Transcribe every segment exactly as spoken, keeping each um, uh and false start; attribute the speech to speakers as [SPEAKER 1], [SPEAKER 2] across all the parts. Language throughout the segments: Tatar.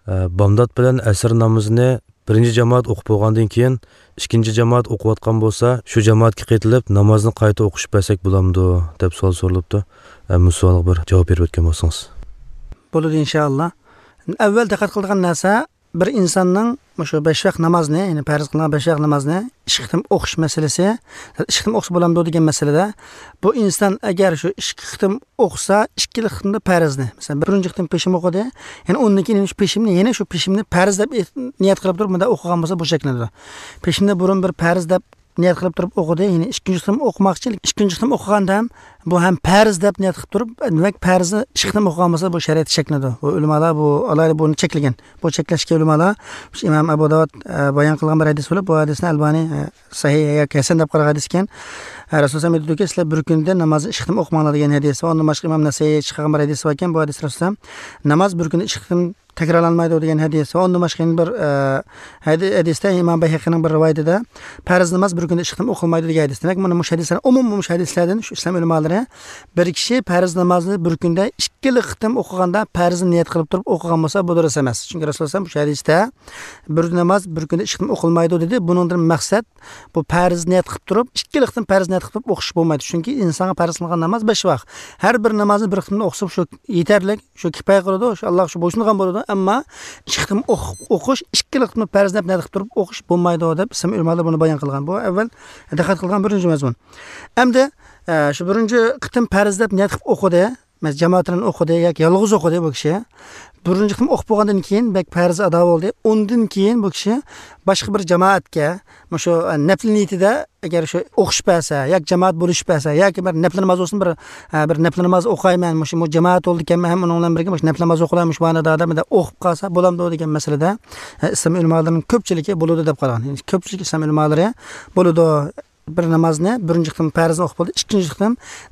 [SPEAKER 1] Bomdod bilan asr namozini birinchi jamoat o'qib bo'lgandan keyin ikkinchi jamoat o'qiyotgan bo'lsa, shu jamoatga qaytilib namozni qayta o'qish bersak bo'lamdi deb savol so'ralibdi. Bu savolga bir javob berib o'tgan bo'lsangiz.
[SPEAKER 2] Bo'ladi inshaalloh. Avval diqqat qiladigan narsa, bir insonning shu besh vaqt namozni, ya'ni farz qilingan besh vaqt namozni ikki qitim o'qish masalasi, ikki qitim o'qisa bo'lamdi degan masalada, bu inson agar shu ikki qitim o'qisa, ikki qitimda farzni, masalan, birinchi qitim peshim o'qidi, ya'ni undan keyin shu peshimni, yana shu peshimni farz deb niyat qilib turib, bunda o'qigan bo'lsa bu shaklanadi. Peshimni burun bir farz deb niyat qilib turib o'qidi, ya'ni ikkinchi qitim o'qimoqchi, ikkinchi qitim o'qiganda ham bu ham farz deb niyat qilib turib, demak farzni ikki qitim o'qigan bo'lsa bu shariat cheklanadi. Bu ulamolar bu alohida buni cheklagan. Bu cheklashga ulamolar Imom Abu Dovud bayon qilgan bir hadis bo'lib, bu hadisni Albani sahih yoki hasan deb qaragan hadis ekan. Rasululloh aytdiki, sizlar bir kunda namozni ikki qitim o'qimanglar degan hadis va undan boshqa Imom Nasaiy chiqargan bir hadis bor ekan. Bu hadis Rasululloh namoz bir kunda ikki qitim takrorlanmaydi degan hadis va undan boshqa bir hadisda Imom Bayhaqiyning bir rivoyatida farz namoz bir kunda ikki qitim o'qilmaydi degan hadis. Demak, mana bu hadislar umum bu hadislardan shu islom ulamolari bir kishi farz namozni bir kunda ikki qitim o'qiganda farzni niyat qilib turib o'qigan bo'lsa bu durust emas. Chunki Rasululloh bu hadisda bir namoz bir kunda ikki qitim o'qilmaydi dedi. Buningdan maqsad bu farz niyat qilib turib ikki qitim farz niyat qilib turib o'qish bo'lmaydi. Chunki insonga farz qilingan namoz besh vaqt. Har bir namozni bir qitimda o'qisa shu yetarli, shu kifoya qiladi, shu Alloh shu bo'ysungan bo'ladi. Ammo ikki qitim o'qish, ikki qitim farz niyat qilib turib o'qish bo'lmaydi deb islom ulamolari buni bayon qilgan. Bu avval diqqat qilgan birinchi mazmun. Endi shu birinchi qitim farz deb niyat qilib o'qidi, masalan jamoat bilan o'qidi yoki yolg'iz o'qidi bu kishi. Birinchi qitim o'qib bo'lgandan keyin bak farz ado bo'ldi. Undan keyin bu kishi boshqa bir jamoatga shu nafl niyatida agar shu o'qish bersa yoki jamoat bo'lish bersa yoki bir nafl namoz bo'lsin, bir bir nafl namoz o'qayman, shu jamoat bo'ldi ekanman, ham uning bilan birga shu nafl namoz o'qilayman, shu ma'noda odamda o'qib qolsa bo'lamdi degan masalada islom ulamolarining ko'pchiligi bo'ladi deb qaragan. Ya'ni ko'pchilik islom ulamolari bo'ladi bir namozni birinchi qitim farzni o'qib bo'ldi, ikkinchi qitim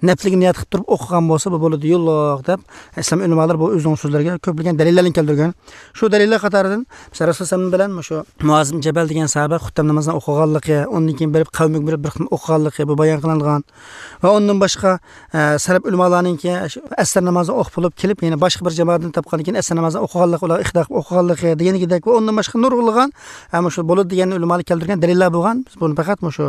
[SPEAKER 2] nafliga niyat qilib turib o'qigan bo'lsa bu bo'ladi yo'lloq deb islom ulamolari bu o'zining so'zlariga ko'plagan dalillarni keltirgan. Shu dalillar qatoridan masalan Rasululloh bilan shu Muoz ibn Jabal degan sahoba xutba namozini o'qiganligi, undan keyin bir qavmga bir bir qitim o'qiganligi bu bayon qilingan va undan boshqa salaf ulamolarininki asr namozini o'qib bo'lib kelib yana boshqa bir jamoatni topgandan keyin asr namozini o'qiganligi, ular ixtilof o'qiganligi deganidek va undan boshqa nurg'ulg'an hamma shu bo'ladi degan ulamolar keltirgan dalillar bo'lgan. Biz buni faqat shu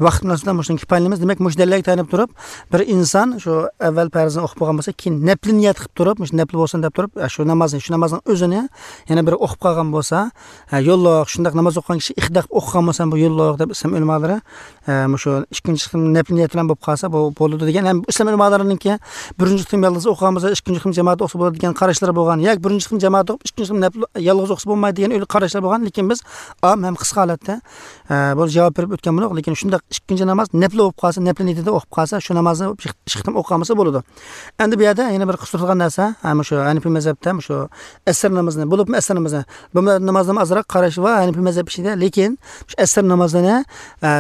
[SPEAKER 2] vaqt munosabatidan shuni kifoyalaymiz. Demak, mush dalillarga tayanib turib, bir inson shu avval farzni o'qib bo'lgan bo'lsa, keyin nafl niyat qilib turib, mush nafl bo'lsin deb turib, shu namozni, shu namozning o'zini yana bir o'qib qolgan bo'lsa, yo'lloq, shundaq namoz o'qigan kishi ixtilof o'qigan bo'lsa, bu yo'lloq deb islom ulamolari shu ikkinchi qitim nafl niyat bilan bo'lib qolsa, bu bo'ladi degan. Ham islom ulamolarininki birinchi qitim yolg'iz o'qigan bo'lsa, ikkinchi qitim jamoat o'qisa bo'ladi degan qarashlari bo'lgan, yoki birinchi qitim jamoat o'qib, ikkinchi qitim nafl yolg'iz o'qisa bo'lmaydi degan o'yli qarashlar bo'lgan. Lekin biz am ham qisqa holatda bu javob berib o'tgan bo'ldik. Lekin shundaq ikkinchi namoz nafl o'qib qolsa, nafl niyatida o'qib qolsa, shu namozni ikki qitim o'qigan bo'lsa bo'ladi. Endi bu yerda yana bir qisqartirilgan narsa, mana shu Hanafiy mazhabda shu asr namozini, bo'libmi asr namozini, bu namozdan ozroq qarash va Hanafiy mazhab ichida, lekin shu asr namozini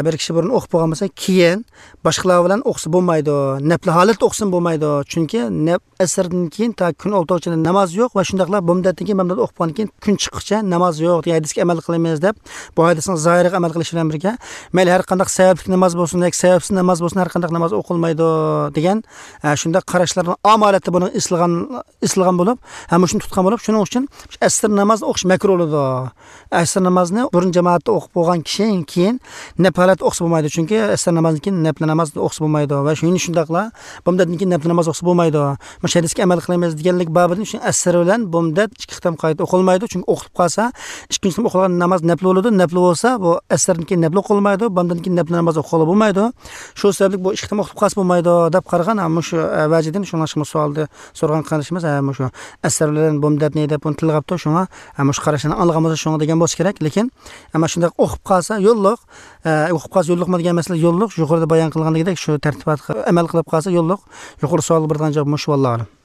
[SPEAKER 2] bir kishi burun o'qib bo'lgan bo'lsa, keyin boshqalar bilan o'qisa bo'lmaydi, nafl holatda o'qisin bo'lmaydi. Chunki asrdan keyin ta kun oltovchining namoz yo'q va shundaqlar bumdatdan keyin bumdat o'qib bo'lgandan keyin kun chiqquncha namoz yo'q degan hadisga amal qilamiz deb bu hadisning zohiriga amal qilish bilan birga mayli har qanday sababli namoz bo'lsin yoki sababsiz namoz bo'lsin, har qanday namoz o'qilmaydi degan shunday qarashlarni amaliyotda buni islag'an islag'an bo'lib, ham shuni tutgan bo'lib, shuning uchun asr namozni o'qish makruh bo'ladi. Asr namozini burun jamoatda o'qib bo'lgan kishi keyin nafl holatda o'qisa bo'lmaydi, chunki asr namozidan keyin nafl namozni o'qisa bo'lmaydi va shuni shundaqla bumdatdan keyin nafl namoz o'qisa bo'lmaydi. Mana shu hadisga amal qilamiz deganlik babidan shu asr bilan bumdat ikki qitim qayta o'qilmaydi, chunki o'qib qolsa ikkinchi qitim o'qilgan namoz nafl bo'ladi, nafl bo'lsa bu asrdan keyin nafl o'qilmaydi, bundan keyin nafl namoz o'qila bo'lmaydi. Shu sababli bu ikki qitim o'qib qolsa bo'lmaydi deb qaragan. Ammo shu vajidan shunga shu savolni so'ragan qarashimiz mana shu asr bilan bumdatni deb buni tilg'abdi, shunga mana shu qarashini olgan bo'lsa shunga degan bo'lsa kerak. Lekin ammo shunday o'qib qolsa yo'lliq, o'qib qolsa yo'lliqmi degan masala yo'lliq, yuqorida bayon qilganligidek shu tartibotga amal qilib qolsa yo'lliq. Yuqori savol bergan javob shu, vallohu a'lam.